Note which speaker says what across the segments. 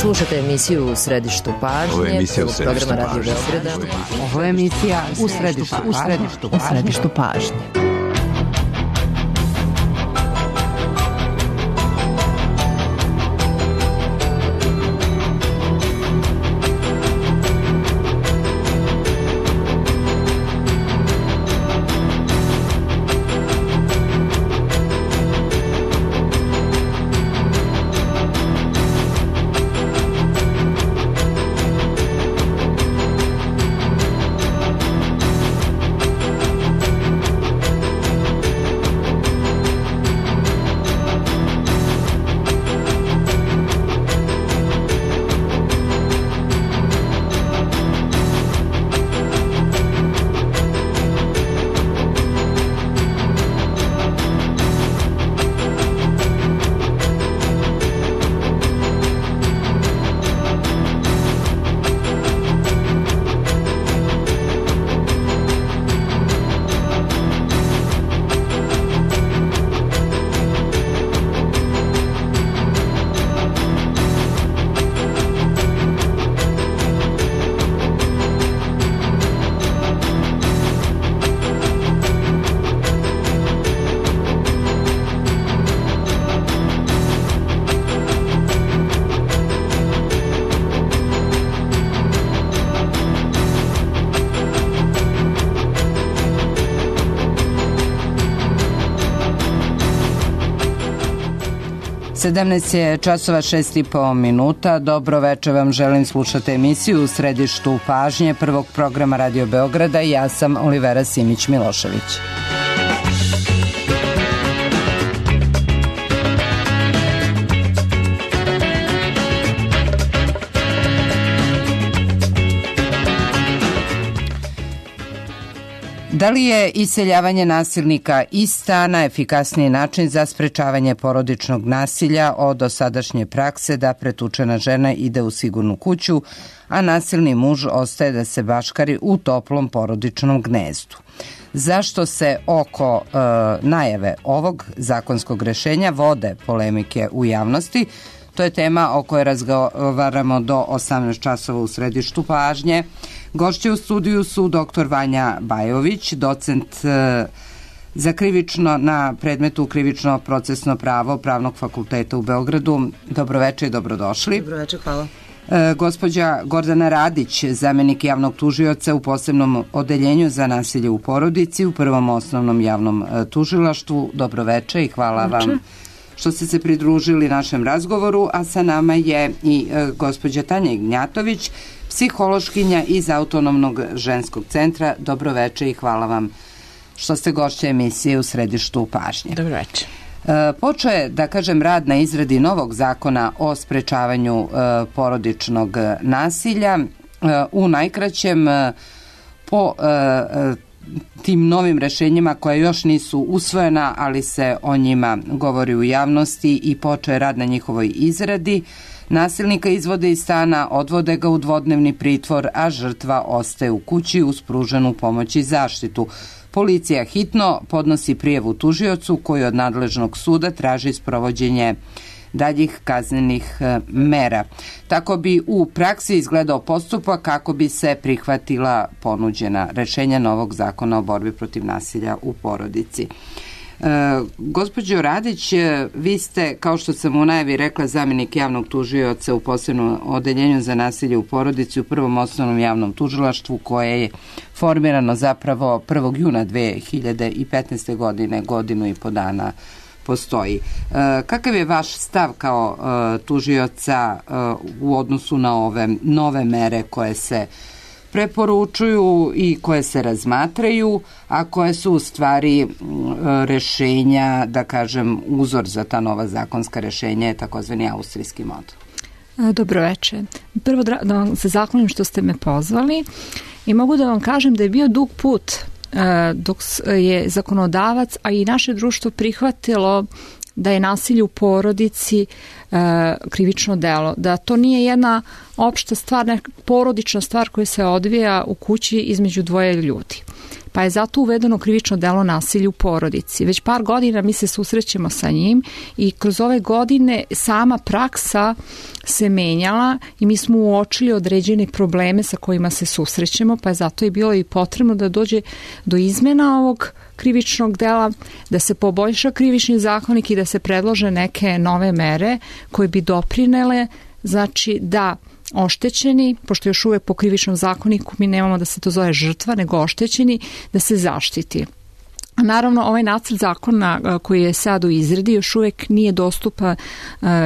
Speaker 1: Slušate emisiju U središtu pažnje.
Speaker 2: Ovo je emisija U središtu
Speaker 1: programa Radio
Speaker 2: pažnje.
Speaker 1: Beograda.
Speaker 3: Ovo je emisija U središtu pažnje. Sedamnaest je časova 6,5 minuta. Dobro večer vam želim, slušate emisiju U središtu pažnje prvog programa Radio Beograda i ja sam Olivera Simić-Milošević. Da li je iseljavanje nasilnika iz stana efikasniji način za sprečavanje porodičnog nasilja od dosadašnje prakse da pretučena žena ide u sigurnu kuću, a nasilni muž ostaje da se baškari u toplom porodičnom gnezdu? Zašto se oko najave ovog zakonskog rešenja vode polemike u javnosti? To je tema o kojoj razgovaramo do 18 časova u središtu pažnje. Gošće u studiju su dr. Vanja Bajović, docent za krivično na predmetu krivično procesno pravo Pravnog fakulteta u Beogradu. Dobroveče i dobrodošli.
Speaker 1: Dobroveče, hvala.
Speaker 3: Gospođa Gordana Radić, zamenik javnog tužioca u posebnom odeljenju za nasilje u porodici u Prvom osnovnom javnom tužilaštvu. Dobroveče i hvala vam što ste se pridružili našem razgovoru, a sa nama je i gospođa Tanja Ignjatović, psihološkinja iz Autonomnog ženskog centra. Dobroveče i hvala vam što ste gošće emisije U središtu pažnje.
Speaker 1: Dobroveče.
Speaker 3: Počeo je, da kažem, rad na izradi novog zakona o sprečavanju porodičnog nasilja. U najkraćem, po tim novim rešenjima koja još nisu usvojena, ali se o njima govori u javnosti i počeo je rad na njihovoj izradi. Nasilnika izvode iz stana, odvode ga u dvodnevni pritvor, a žrtva ostaje u kući uz pruženu pomoć i zaštitu. Policija hitno podnosi prijavu tužiocu koji od nadležnog suda traži sprovođenje daljih kaznenih mera. Tako bi u praksi izgledao postupak kako bi se prihvatila ponuđena rešenja novog zakona o borbi protiv nasilja u porodici. Gospođo Radić, vi ste, kao što sam u najavi rekla, zamenik javnog tužioca u posebnom odeljenju za nasilje u porodici u Prvom osnovnom javnom tužilaštvu koje je formirano zapravo 1. juna 2015. godine, godinu i po dana postoji. Kakav je vaš stav kao tužioca u odnosu na ove nove mere koje se preporučuju i koje se razmatraju, a koje su u stvari rešenja, da kažem, uzor za ta nova zakonska rešenja je takozvani austrijski model?
Speaker 4: Dobroveče. Prvo da vam se zahvalim što ste me pozvali i mogu da vam kažem da je bio dug put dok je zakonodavac, a i naše društvo prihvatilo da je nasilje u porodici krivično delo, da to nije jedna opšta stvar, porodična stvar koja se odvija u kući između dvoje ljudi. pa je zato uvedeno krivično delo nasilja u porodici. Već par godina mi se susrećemo sa njim i kroz ove godine sama praksa se menjala i mi smo uočili određene probleme sa kojima se susrećemo, pa je zato i bilo i potrebno da dođe do izmena ovog krivičnog dela, da se poboljša krivični zakonik i da se predlože neke nove mere koje bi doprinele, znači da oštećeni, pošto još uvek po krivičnom zakoniku mi nemamo da se to zove žrtva, nego oštećeni, da se zaštiti. Naravno, ovaj nacrt zakona koji je sad u izradi još uvek nije dostupan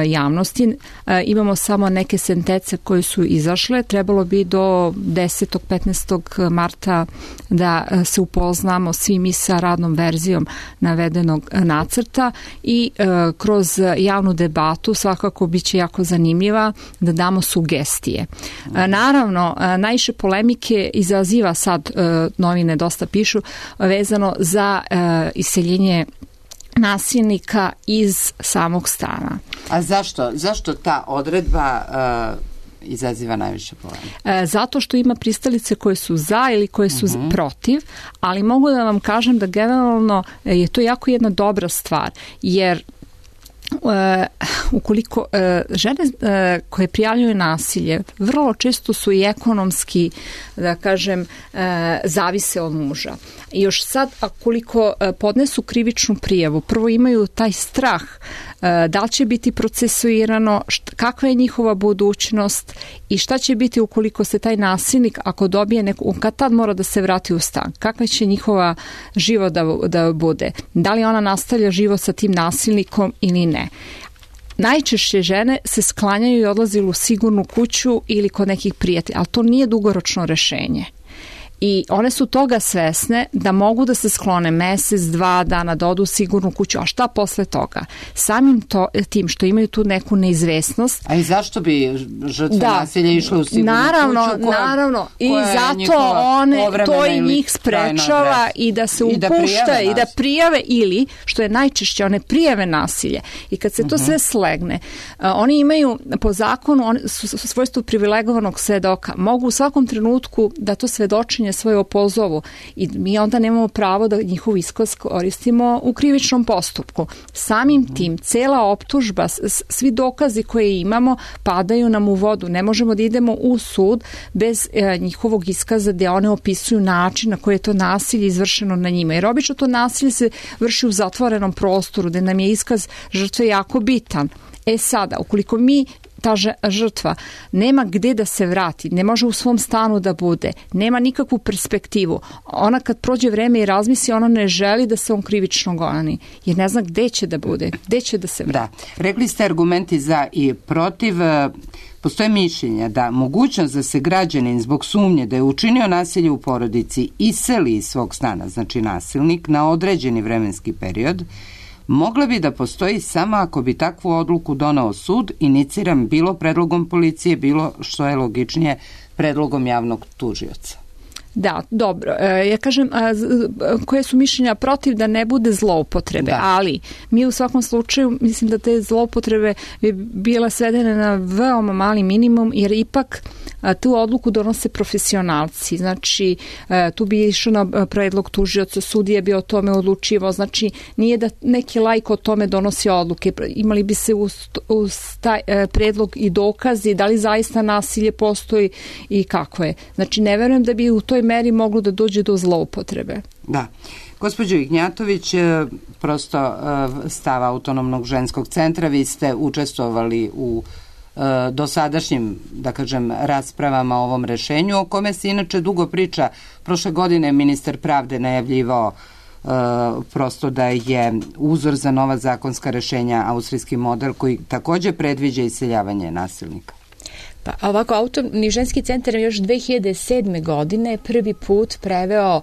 Speaker 4: javnosti. Imamo samo neke sentence koje su izašle. Trebalo bi do 10. 15. marta da se upoznamo svi mi sa radnom verzijom navedenog nacrta i kroz javnu debatu svakako biće jako zanimljiva da damo sugestije. Naravno, najviše polemike izaziva sad, novine dosta pišu, vezano za iseljenje nasilnika iz samog stana.
Speaker 3: A zašto ta odredba izaziva najviše polemike?
Speaker 4: Zato što ima pristalice koje su za ili koje su protiv, ali mogu da vam kažem da generalno je to jako jedna dobra stvar, jer ukoliko žene koje prijavljuju nasilje vrlo često su i ekonomski, da kažem, zavise od muža. I još sad, akoliko podnesu krivičnu prijavu, prvo imaju taj strah da li će biti procesuirano, kakva je njihova budućnost i šta će biti ukoliko se taj nasilnik, ako dobije neku, kad tad mora da se vrati u stan, kakva će njihova život da bude, da li ona nastavlja život sa tim nasilnikom ili ne. Najčešće žene se sklanjaju i odlaze u sigurnu kuću ili kod nekih prijatelja, ali to nije dugoročno rešenje. I one su toga svesne da mogu da se sklone mesec, 2 dana, da odu u sigurnu kuću, a šta posle toga? Samim tim što imaju tu neku neizvesnost.
Speaker 3: A i zašto bi žrtve nasilja išle u sigurnu kuću?
Speaker 4: Naravno. I zato to i njih sprečava i da se upušta i da prijave ili, što je najčešće, one prijave nasilje. I kad se to sve slegne, oni imaju po zakonu svojstvo privilegovanog svedoka. Mogu u svakom trenutku da to svedočenje svoje opozovu i mi onda nemamo pravo da njihov iskaz koristimo u krivičnom postupku. Samim tim, cela optužba, svi dokazi koje imamo padaju nam u vodu. Ne možemo da idemo u sud bez njihovog iskaza gde one opisuju način na koji je to nasilje izvršeno na njima. Jer obično to nasilje se vrši u zatvorenom prostoru gde nam je iskaz žrtve jako bitan. Sada, ukoliko ta žrtva nema gde da se vrati, ne može u svom stanu da bude, nema nikakvu perspektivu. Ona kad prođe vreme i razmisli, ona ne želi da se on krivično goni, jer ne zna gde će da bude, gde će da se vrati.
Speaker 3: Da. Rekli ste argumenti za i protiv. Postoje mišljenja da mogućnost da se građanin zbog sumnje da je učinio nasilje u porodici iseli iz svog stana, znači nasilnik, na određeni vremenski period, mogla bi da postoji samo ako bi takvu odluku donao sud, iniciran bilo predlogom policije, bilo, što je logičnije, predlogom javnog tužioca.
Speaker 4: Da, dobro. Ja kažem, koje su mišljenja protiv da ne bude zloupotrebe, ali mi u svakom slučaju mislim da te zloupotrebe bi bile svedene na veoma mali minimum, jer ipak tu odluku donose profesionalci. Znači, tu bi išao na predlog tužioca, sudija bi o tome odlučivao. Znači, nije da neki laik o tome donosi odluke. Imali bi se uz taj predlog i dokazi da li zaista nasilje postoji i kako je. Znači, ne verujem da bi u toj meri moglo da dođe do zloupotrebe.
Speaker 3: Da. Gospođo Ignjatović, prosto stav Autonomnog ženskog centra, vi ste učestvovali u dosadašnjim, da kažem, raspravama o ovom rešenju, o kome se inače dugo priča. Prošle godine ministar pravde najavljivao prosto da je uzor za nova zakonska rešenja austrijski model koji takođe predviđa iseljavanje nasilnika.
Speaker 1: Pa ovako, Autonomni ženski centar još 2007. godine prvi put preveo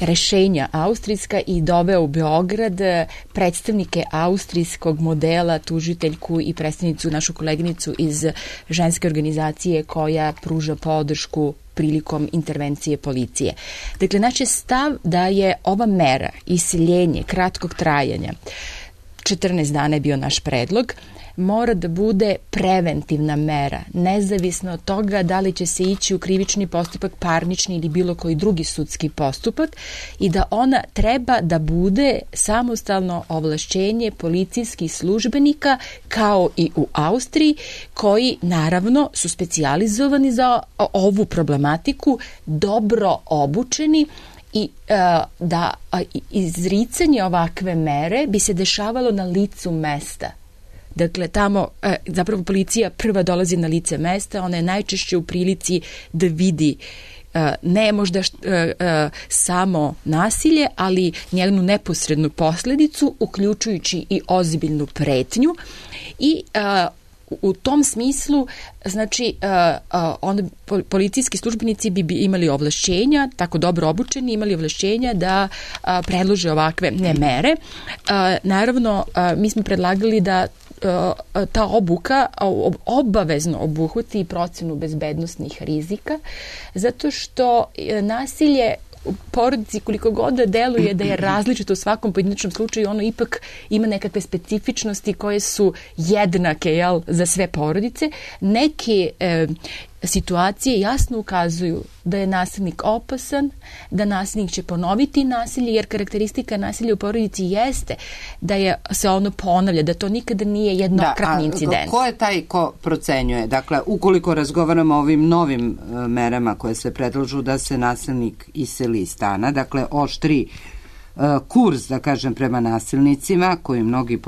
Speaker 1: rešenja austrijska i doveo u Beograd predstavnike austrijskog modela, tužiteljku i predstavnicu, našu koleginicu iz ženske organizacije koja pruža podršku prilikom intervencije policije. Dakle, naš je stav da je ova mera iseljenje kratkog trajanja, 14 dana je bio naš predlog, mora da bude preventivna mera, nezavisno od toga da li će se ići u krivični postupak, parnični ili bilo koji drugi sudski postupak, i da ona treba da bude samostalno ovlašćenje policijskih službenika, kao i u Austriji, koji naravno su specijalizovani za ovu problematiku, dobro obučeni, i da izricanje ovakve mere bi se dešavalo na licu mesta. Dakle, tamo zapravo policija prva dolazi na lice mesta, ona je najčešće u prilici da vidi ne možda samo nasilje, ali njenu neposrednu posledicu, uključujući i ozbiljnu pretnju, i u tom smislu, znači, onda policijski službenici bi imali ovlašćenja, tako dobro obučeni, imali ovlašćenja da predlože ovakve mere. Naravno, mi smo predlagali da ta obuka obavezno obuhvati procenu bezbednosnih rizika, zato što nasilje u porodici, koliko god da deluje da je različito u svakom pojedinačnom slučaju, ono ipak ima nekakve specifičnosti koje su jednake, za sve porodice. Neke situacije jasno ukazuju da je nasilnik opasan, da nasilnik će ponoviti nasilje, jer karakteristika nasilja u porodici jeste da se ono ponavlja, da to nikada nije jednokratni incident.
Speaker 3: Ko je taj ko procenjuje? Dakle, ukoliko razgovaramo o ovim novim merama koje se predlažu da se nasilnik iseli iz stana, dakle, oštri kurs, da kažem, prema nasilnicima, koji mnogi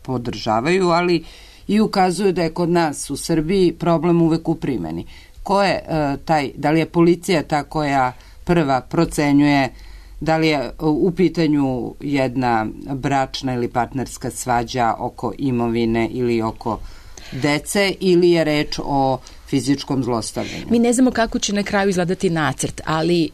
Speaker 3: podržavaju, ali i ukazuju da je kod nas u Srbiji problem uvek u primeni. Ko je da li je policija ta koja prva procenjuje da li je u pitanju jedna bračna ili partnerska svađa oko imovine ili oko dece, ili je reč o fizičkom zlostavljanju?
Speaker 1: Mi ne znamo kako će na kraju izgledati nacrt, ali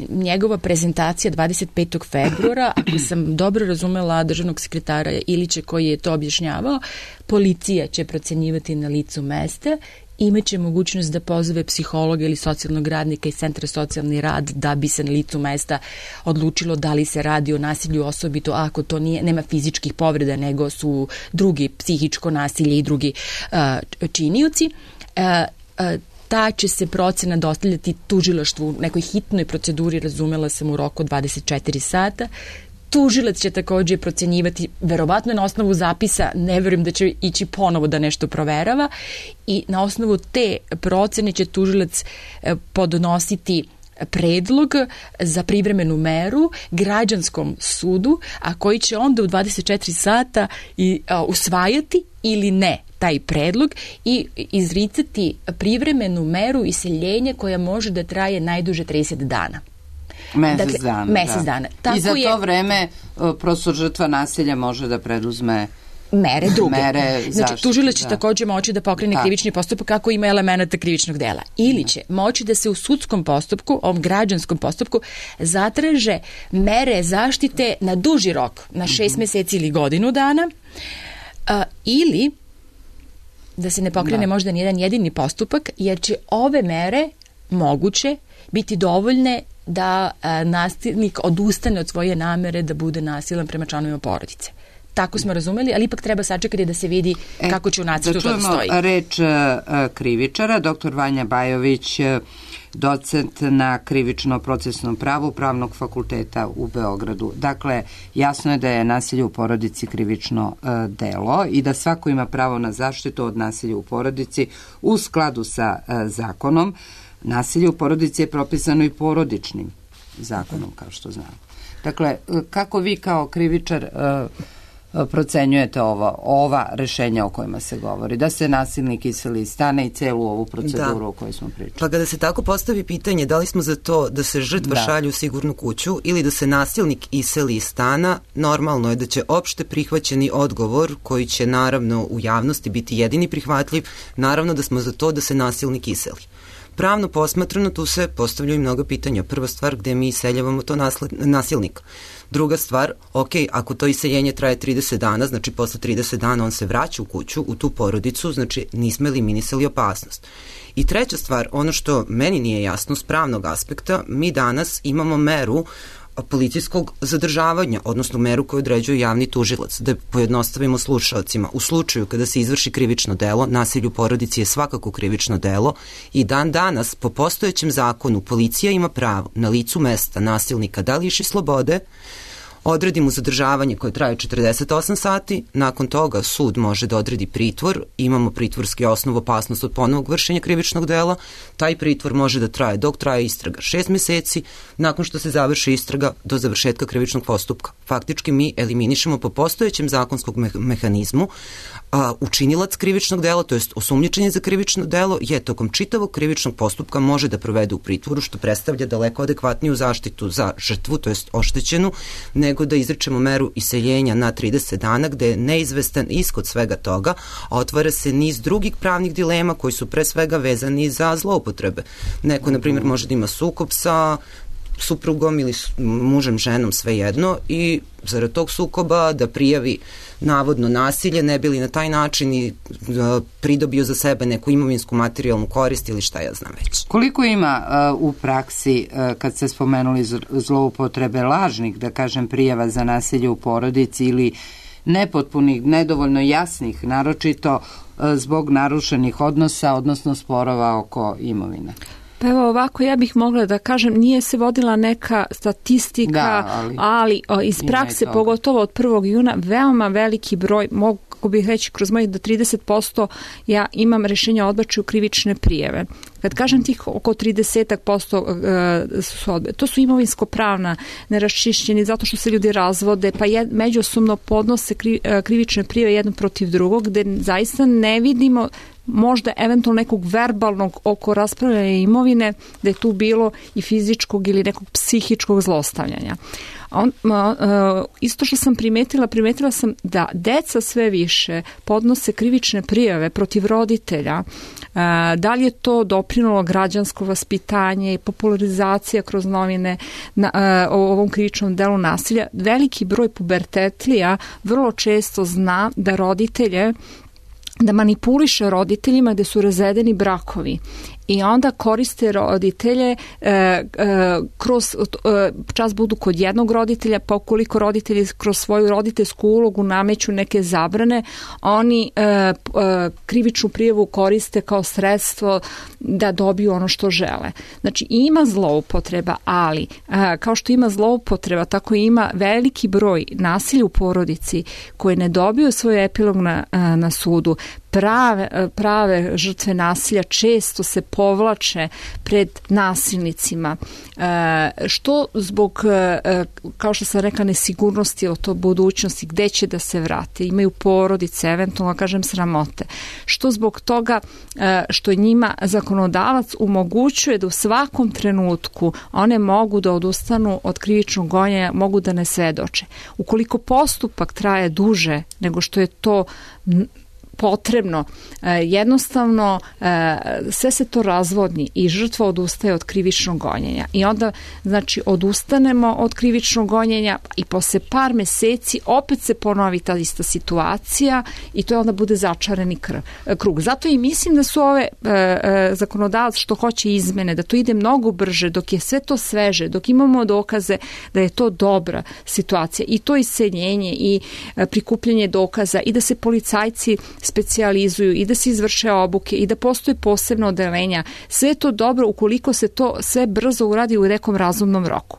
Speaker 1: njegova prezentacija 25. februara, ako sam dobro razumela državnog sekretara Ilića koji je to objašnjavao, policija će procenjivati na licu mesta, imaće mogućnost da pozove psihologa ili socijalnog radnika iz Centra socijalni rad da bi se na licu mesta odlučilo da li se radi o nasilju, osobito ako to nema fizičkih povreda, nego su drugi psihičko nasilje i drugi činioci. Ta će se procena dostavljati tužilaštvu u nekoj hitnoj proceduri, razumela sam, u roku 24 sata. Tužilac će takođe procenjivati, verovatno na osnovu zapisa, ne verujem da će ići ponovo da nešto proverava, i na osnovu te procene će tužilac podnositi predlog za privremenu meru građanskom sudu, a koji će onda u 24 sata usvajati ili ne taj predlog i izricati privremenu meru iseljenja koja može da traje najduže 30 dana.
Speaker 3: Mesec dana.
Speaker 1: Tako
Speaker 3: i za to vreme prosto žrtva nasilja može da preduzme
Speaker 1: mere druge.
Speaker 3: Znači,
Speaker 1: tužilac će takođe moći da pokrene krivični postupak ako ima elemenata krivičnog dela. Ili će moći da se u sudskom postupku, ovom građanskom postupku, zatraže mere zaštite na duži rok, na 6 meseci ili godinu dana, ili da se ne pokrene možda nijedan jedini postupak, jer će ove mere moguće biti dovoljne da nasilnik odustane od svoje namere da bude nasilan prema članovima porodice. Tako smo razumeli, ali ipak treba sačekati da se vidi kako će u nacrtu to stoji.
Speaker 3: Da čujemo reč krivičara, dr. Vanja Bajović, docent na krivično-procesnom pravu Pravnog fakulteta u Beogradu. Dakle, jasno je da je nasilje u porodici krivično delo i da svako ima pravo na zaštitu od nasilja u porodici u skladu sa zakonom. Nasilje u porodici je propisano i porodičnim zakonom, kao što znamo. Dakle, kako vi kao krivičar procenjujete ova rešenja o kojima se govori, da se nasilnik iseli iz stana i celu ovu proceduru o kojoj smo pričali?
Speaker 2: Pa kada se tako postavi pitanje da li smo za to da se žrtva šalje u sigurnu kuću ili da se nasilnik iseli iz stana, normalno je da će opšte prihvaćeni odgovor, koji će naravno u javnosti biti jedini prihvatljiv, naravno da smo za to da se nasilnik iseli. Pravno posmatrano tu se postavljaju mnogo pitanja. Prva stvar, gde mi iseljavamo to nasilnika. Druga stvar, ako to iseljenje traje 30 dana, znači posle 30 dana on se vraća u kuću, u tu porodicu, znači nismo eliminisali opasnost. I treća stvar, ono što meni nije jasno s pravnog aspekta, mi danas imamo meru policijskog zadržavanja, odnosno meru koju određuje javni tužilac. Da pojednostavimo slušalcima, u slučaju kada se izvrši krivično delo, nasilje u porodici je svakako krivično delo i dan danas po postojećem zakonu policija ima pravo na licu mesta nasilnika da liši slobode, odredi mu zadržavanje koje traje 48 sati, nakon toga sud može da odredi pritvor, imamo pritvorski osnov opasnost od ponovnog vršenja krivičnog dela, taj pritvor može da traje dok traje istraga 6 meseci, nakon što se završi istraga do završetka krivičnog postupka. Faktički mi eliminišemo po postojećem zakonskom mehanizmu učinilac krivičnog dela, to jest osumnjičenje za krivično delo je tokom čitavog krivičnog postupka može da provede u pritvoru, što predstavlja daleko adekvatniju zaštitu za žrtvu, to jest oštećenu, nego da izrečemo meru iseljenja na 30 dana gde je neizvestan ishod svega toga, a otvara se niz drugih pravnih dilema koji su pre svega vezani za zloupotrebe. Neko, na primjer, može da ima sukob sa suprugom ili mužem, ženom, svejedno, i zarad tog sukoba da prijavi navodno nasilje, ne bi li na taj način i pridobio za sebe neku imovinsku materijalnu korist ili šta ja znam već.
Speaker 3: Koliko ima u praksi, kad ste spomenuli zloupotrebe lažnih, da kažem, prijava za nasilje u porodici ili nepotpunih, nedovoljno jasnih, naročito zbog narušenih odnosa, odnosno sporova oko imovine?
Speaker 4: Pa evo ovako, ja bih mogla da kažem, nije se vodila neka statistika, ali iz prakse, pogotovo od 1. juna, veoma veliki broj, mogu bih reći kroz mojih do 30%, ja imam rešenja o odbačaju krivične prijeve. Kad kažem tih oko 30% su odbe, to su imovinsko-pravna neraščišćeni zato što se ljudi razvode, pa međusobno podnose krivične prijeve jedno protiv drugog, gde zaista ne vidimo možda eventualno nekog verbalnog oko raspravljanja imovine, da je tu bilo i fizičkog ili nekog psihičkog zlostavljanja. Isto što sam primetila sam da deca sve više podnose krivične prijave protiv roditelja. Da li je to doprinalo građansko vaspitanje i popularizacija kroz novine o ovom krivičnom delu nasilja? Veliki broj pubertetlija vrlo često zna da roditelje, da manipuliše roditeljima gde su razvedeni brakovi i onda koriste roditelje kroz čas budu kod jednog roditelja, pa ukoliko roditelji kroz svoju roditeljsku ulogu nameću neke zabrane, oni krivičnu prijavu koriste kao sredstvo da dobiju ono što žele. Znači ima zloupotreba, ali kao što ima zloupotreba, tako ima veliki broj nasilja u porodici koje ne dobiju svoj epilog na sudu. Prave žrtve nasilja često se povlače pred nasilnicima, što zbog, kao što sam rekla, nesigurnosti o to budućnosti, gde će da se vrate, imaju porodice, eventualno kažem sramote, što zbog toga što njima zakonodavac omogućuje da u svakom trenutku one mogu da odustanu od krivičnog gonjenja, mogu da ne svedoče. Ukoliko postupak traje duže nego što je to potrebno, jednostavno sve se to razvodni i žrtva odustaje od krivičnog gonjenja i onda znači odustanemo od krivičnog gonjenja i posle par meseci opet se ponovi ta ista situacija i to onda bude začarani krug. Zato i mislim da su ove zakonodavac što hoće izmene, da to ide mnogo brže, dok je sve to sveže, dok imamo dokaze da je to dobra situacija i to iseljenje i prikupljanje dokaza i da se policajci specijalizuju i da se izvrše obuke i da postoje posebno odeljenja. Sve je to dobro ukoliko se to sve brzo uradi u nekom razumnom roku.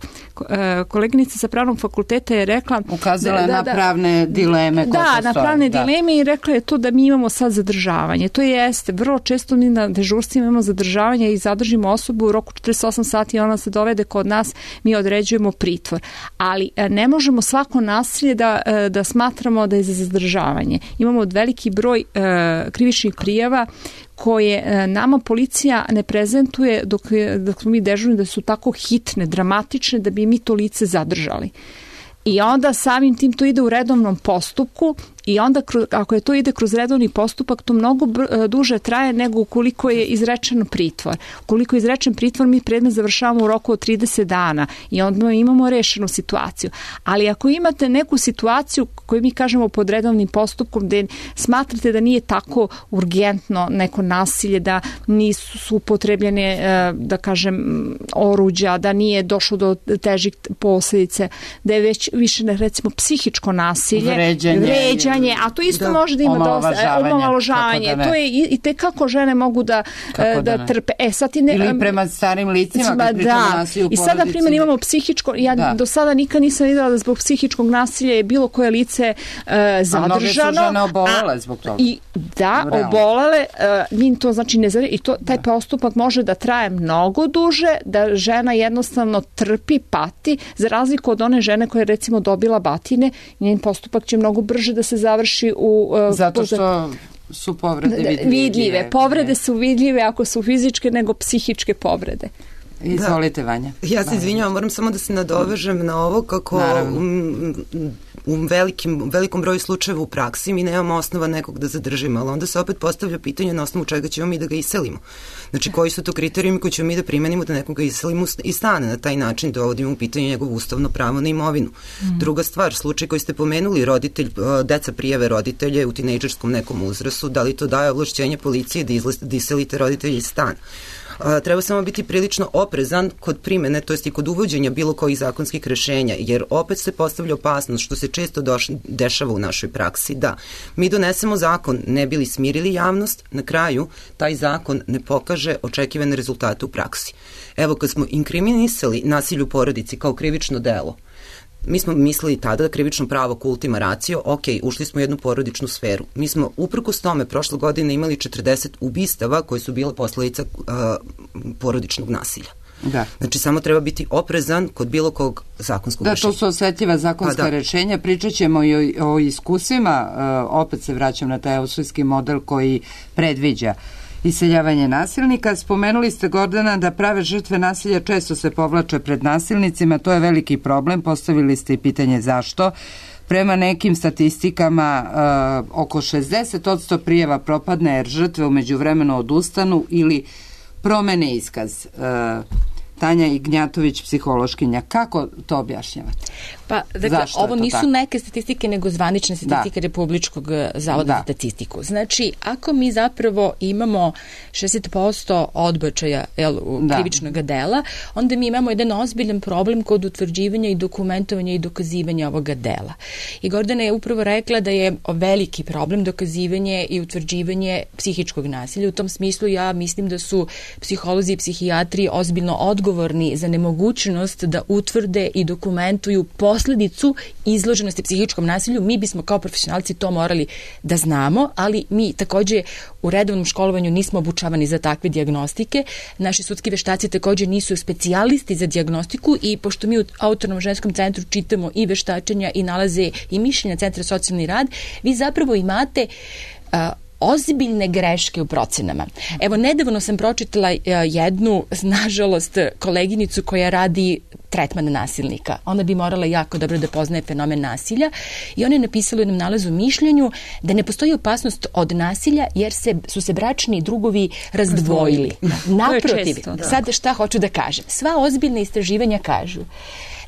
Speaker 4: Koleginica sa pravnog fakulteta je rekla...
Speaker 3: Ukazala na pravne dileme.
Speaker 4: Na pravne dileme i rekla je to da mi imamo sad zadržavanje. To jeste. Vrlo često mi na dežurstvima imamo zadržavanje i zadržimo osobu u roku 48 sati i ona se dovede kod nas, mi određujemo pritvor. Ali ne možemo svako nasilje da smatramo da je za zadržavanje. Imamo veliki broj krivičnih prijava koje nama policija ne prezentuje dok smo mi dežurni, da su tako hitne, dramatične, da bi mi to lice zadržali. I onda samim tim to ide u redovnom postupku I onda ako je to ide kroz redovni postupak, to mnogo duže traje nego ukoliko je izrečen pritvor. Ukoliko je izrečen pritvor, mi predmet završavamo u roku od 30 dana i onda imamo rešenu situaciju. Ali ako imate neku situaciju koju mi kažemo pod redovnim postupkom gde smatrate da nije tako urgentno neko nasilje, da nisu upotrebljene, da kažem, oruđa, da nije došlo do težih posljedice, da je već više, recimo, psihičko nasilje, vređanje, a to isto može da ima dosta omalovažavanje. To je i tekako žene mogu da trpe.
Speaker 3: Ili prema starim licima, kad pričamo nasilju u porodici.
Speaker 4: I sad, na primjer, imamo psihičko, ja do sada nikad nisam videla da zbog psihičkog nasilja je bilo koje lice zadržano. A mnoge su
Speaker 3: žene obolele zbog toga.
Speaker 4: Obolele, njim to znači ne zavljaju. I taj postupak može da traje mnogo duže, da žena jednostavno trpi, pati, za razliku od one žene koja je recimo dobila batine, njen postupak će mnogo brže da se završi
Speaker 3: zato što su povrede vidljive.
Speaker 4: Povrede su vidljive ako su fizičke nego psihičke povrede.
Speaker 3: Izvolite, Vanja.
Speaker 2: Ja se izvinjavam, moram samo da se nadovežem na ovo kako u velikom broju slučajeva u praksi mi nemamo osnova nekog da zadržimo, ali onda se opet postavlja pitanje na osnovu čega ćemo mi da ga iselimo. Znači, koji su to kriterijumi koji ćemo mi da primenimo da nekoga iselimo iz stana, na taj način dovodimo u pitanje njegovo ustavno pravo na imovinu. Druga stvar, slučaj koji ste pomenuli, deca prijave roditelje u tinejdžerskom nekom uzrastu, da li to daje ovlašćenje policije da iselite roditelje iz stana? Treba samo biti prilično oprezan kod primene, to jest i kod uvođenja bilo kojih zakonskih rešenja, jer opet se postavlja opasnost, što se često dešava u našoj praksi, da mi donesemo zakon, ne bili smirili javnost, na kraju taj zakon ne pokaže očekivane rezultate u praksi. Evo, kad smo inkriminisali nasilje u porodici kao krivično delo, mi smo mislili tada da krivično pravo ultima ratio, ok, ušli smo u jednu porodičnu sferu. Mi smo uprkos tome prošle godine imali 40 ubistava koje su bile posledica porodičnog nasilja.
Speaker 3: Da.
Speaker 2: Znači, samo treba biti oprezan kod bilo kog zakonskog rešenja.
Speaker 3: Da, to su osetljiva zakonska rešenja. Pričat ćemo i o iskusima. Opet se vraćam na taj austrijski model koji predviđa iseljavanje nasilnika. Spomenuli ste, Gordana, da prave žrtve nasilja često se povlače pred nasilnicima. To je veliki problem. Postavili ste i pitanje zašto. Prema nekim statistikama oko 60% prijava propadne jer žrtve u međuvremenu odustanu ili promene iskaz. Tanja Ignjatović, psihološkinja. Kako to objašnjavate?
Speaker 1: Pa, dakle, ovo nisu neke statistike, nego zvanične statistike Republičkog zavoda za statistiku. Znači, ako mi zapravo imamo 60% odbačaja krivičnog dela, onda mi imamo jedan ozbiljan problem kod utvrđivanja i dokumentovanja i dokazivanja ovoga dela. I Gordana je upravo rekla da je veliki problem dokazivanje i utvrđivanje psihičkog nasilja. U tom smislu ja mislim da su psiholozi i psihijatri ozbiljno odgovorni za nemogućnost da utvrde i dokumentuju posledicu izloženosti psihičkom nasilju. Mi bismo kao profesionalci to morali da znamo, ali mi takođe u redovnom školovanju nismo obučavani za takve dijagnostike. Naši sudski veštaci takođe nisu specijalisti za dijagnostiku i pošto mi u Autonomnom ženskom centru čitamo i veštačenja i nalaze i mišljenja Centra za socijalni rad, vi zapravo imate ozbiljne greške u procenama. Evo, nedavno sam pročitala jednu, nažalost, koleginicu koja radi tretman nasilnika. Ona bi morala jako dobro da poznaje fenomen nasilja i ona je napisala u jednom nalazu mišljenju da ne postoji opasnost od nasilja jer su se bračni drugovi razdvojili. Naprotiv, sad šta hoću da kažem? Sva ozbiljna istraživanja kažu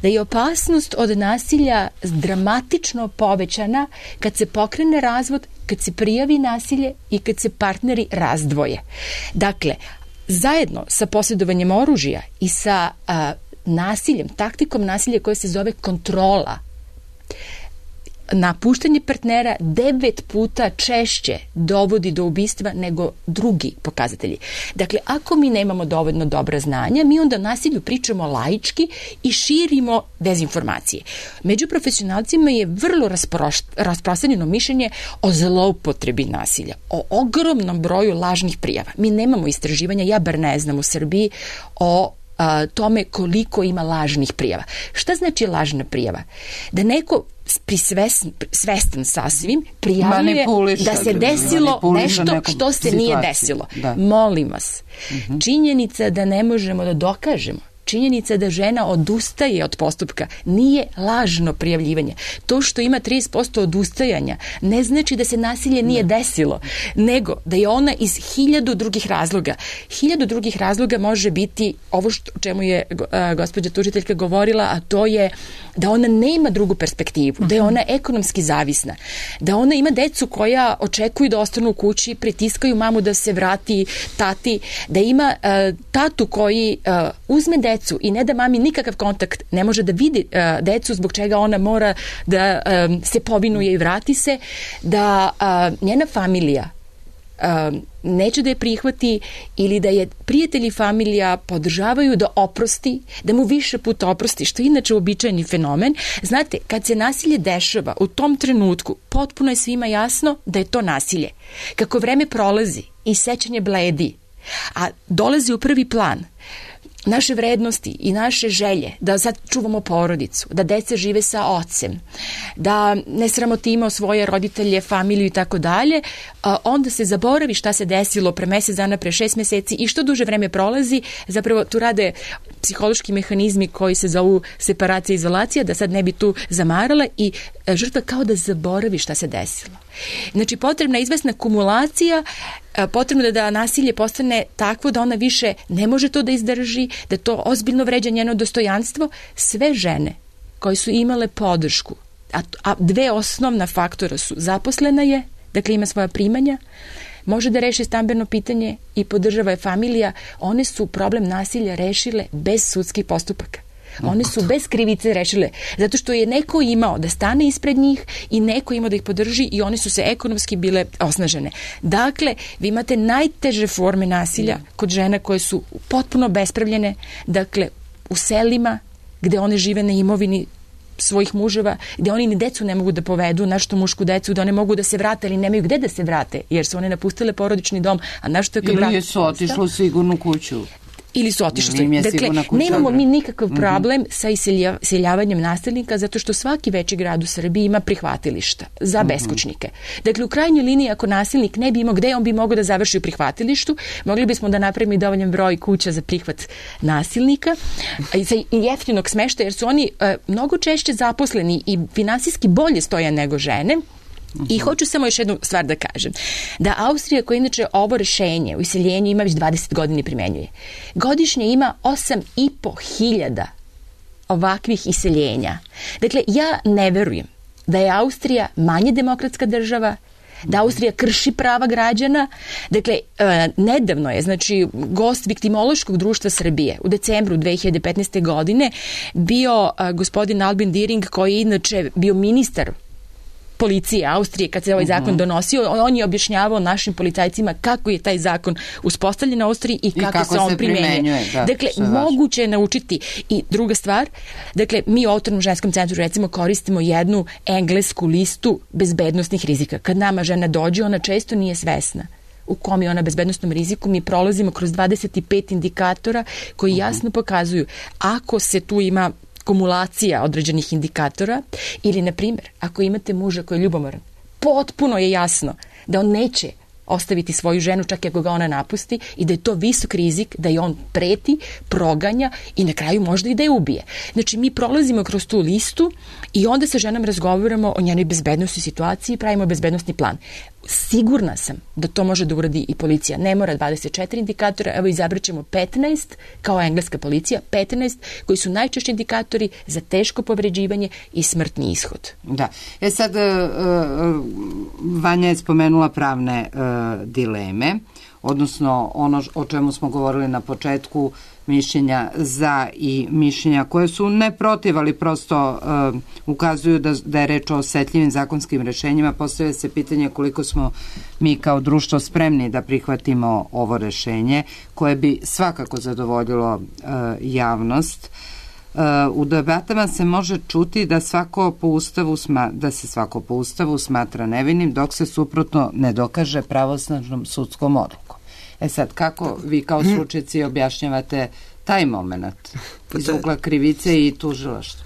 Speaker 1: da je opasnost od nasilja dramatično povećana kad se pokrene razvod, kad se prijavi nasilje i kad se partneri razdvoje. Dakle, zajedno sa posjedovanjem oružja i sa nasiljem, taktikom nasilja koja se zove kontrola, napuštanje partnera 9 puta češće dovodi do ubistva nego drugi pokazatelji. Dakle, ako mi nemamo dovoljno dobra znanja, mi onda o nasilju pričamo laički i širimo dezinformacije. Među profesionalcima je vrlo rasprostranjeno mišljenje o zloupotrebi nasilja, o ogromnom broju lažnih prijava. Mi nemamo istraživanja, ja bar ne znam u Srbiji, o tome koliko ima lažnih prijava. Šta znači lažna prijava? Da neko svestan sasvim prijavljuje da se desilo nešto što se nije desilo. Da. Molim vas, činjenica da ne možemo da dokažemo, činjenica da žena odustaje od postupka nije lažno prijavljivanje. To što ima 30% odustajanja ne znači da se nasilje nije desilo, nego da je ona iz 1000 drugih razloga. 1000 drugih razloga može biti ovo o čemu je gospođa tužiteljka govorila, a to je da ona nema drugu perspektivu, da je ona ekonomski zavisna, da ona ima decu koja očekuju da ostanu u kući, pritiskaju mamu da se vrati tati, da ima tatu koji uzme decu i ne da mami nikakav kontakt, ne može da vidi decu zbog čega ona mora da se povinuje i vrati se, da njena familija neće da je prihvati ili da je prijatelji i familija podržavaju da oprosti, da mu više puta oprosti, što je inače uobičajeni fenomen. Znate, kad se nasilje dešava u tom trenutku, potpuno je svima jasno da je to nasilje. Kako vreme prolazi i sećanje bledi, a dolazi u prvi plan naše vrednosti i naše želje da sad čuvamo porodicu, da deca žive sa ocem, da ne sramotimo svoje roditelje, familiju i tako dalje, onda se zaboravi šta se desilo pre mesec dana, pre 6 meseci i što duže vreme prolazi, zapravo tu rade psihološki mehanizmi koji se zovu separacija i izolacija, da sad ne bi tu zamarala i žrtva kao da zaboravi šta se desilo. Znači, potrebna je izvesna kumulacija, potrebno je da nasilje postane takvo da ona više ne može to da izdrži, da to ozbiljno vređa njeno dostojanstvo. Sve žene koje su imale podršku, a dve osnovna faktora su zaposlena je, dakle ima svoja primanja, može da reši stambeno pitanje i podržava je familija, one su problem nasilja rešile bez sudskih postupaka. One su bez krivice rešile, zato što je neko imao da stane ispred njih i neko imao da ih podrži i one su se ekonomski bile osnažene. Dakle, vi imate najteže forme nasilja kod žena koje su potpuno bespravljene, dakle, u selima gde one žive na imovini svojih muževa, gde oni ni decu ne mogu da povedu, našto mušku decu, da one mogu da se vrate, ali nemaju gde da se vrate, jer su one napustile porodični dom, a našto kad
Speaker 3: ili su otišlo u sigurnu kuću.
Speaker 1: Ili su otišli. Dakle, nemamo mi nikakav problem sa iseljavanjem nasilnika, zato što svaki veći grad u Srbiji ima prihvatilišta za beskućnike. Dakle, u krajnjoj liniji, ako nasilnik ne bi imao gde, on bi mogao da završi u prihvatilištu, mogli bismo da napravimo i dovoljan broj kuća za prihvat nasilnika i jeftinog smeštaja, jer su oni mnogo češće zaposleni i finansijski bolje stoje nego žene. I hoću samo još jednu stvar da kažem. Da Austrija, koja inače ovo rešenje u iseljenju ima već 20 godina primenjuje, godišnje ima 8.500 ovakvih iseljenja. Dakle, ja ne verujem da je Austrija manje demokratska država, da Austrija krši prava građana. Dakle, nedavno je, znači, gost Viktimološkog društva Srbije u decembru 2015. godine bio gospodin Albin Diering, koji je inače bio ministar policije Austrije kad se ovaj zakon donosio. On je objašnjavao našim policajcima kako je taj zakon uspostavljen u Austriji i kako se on primenjuje. Dakle, moguće je naučiti. I druga stvar, dakle, mi u Autonomnom ženskom centru recimo koristimo jednu englesku listu bezbednostnih rizika. Kad nama žena dođe, ona često nije svesna u kom je ona bezbednostnom riziku. Mi prolazimo kroz 25 indikatora koji jasno pokazuju ako se tu ima kumulacija određenih indikatora ili, na primjer, ako imate muža koji je ljubomoran, potpuno je jasno da on neće ostaviti svoju ženu čak i ako ga ona napusti i da je to visok rizik, da je on preti, proganja i na kraju možda i da je ubije. Znači, mi prolazimo kroz tu listu i onda sa ženom razgovaramo o njenoj bezbednostnoj situaciji i pravimo bezbednostni plan. Sigurna sam da to može da uradi i policija. Ne mora 24 indikatora, evo izabrat ćemo 15, kao engleska policija, 15 koji su najčešći indikatori za teško povređivanje i smrtni ishod.
Speaker 3: Da. Sad, Vanja je spomenula pravne dileme, odnosno ono o čemu smo govorili na početku, mišljenja za i mišljenja koje su ne protiv, ali prosto ukazuju da je reč o osetljivim zakonskim rešenjima. Postavlja se pitanje koliko smo mi kao društvo spremni da prihvatimo ovo rešenje koje bi svakako zadovoljilo javnost. U debatama se može čuti da svako po ustavu smatra nevinim dok se suprotno ne dokaže pravosnažnom sudskom odlukom. Sad, kako vi kao stručnjaci objašnjavate taj moment iz ugla krivice i tužilaštva?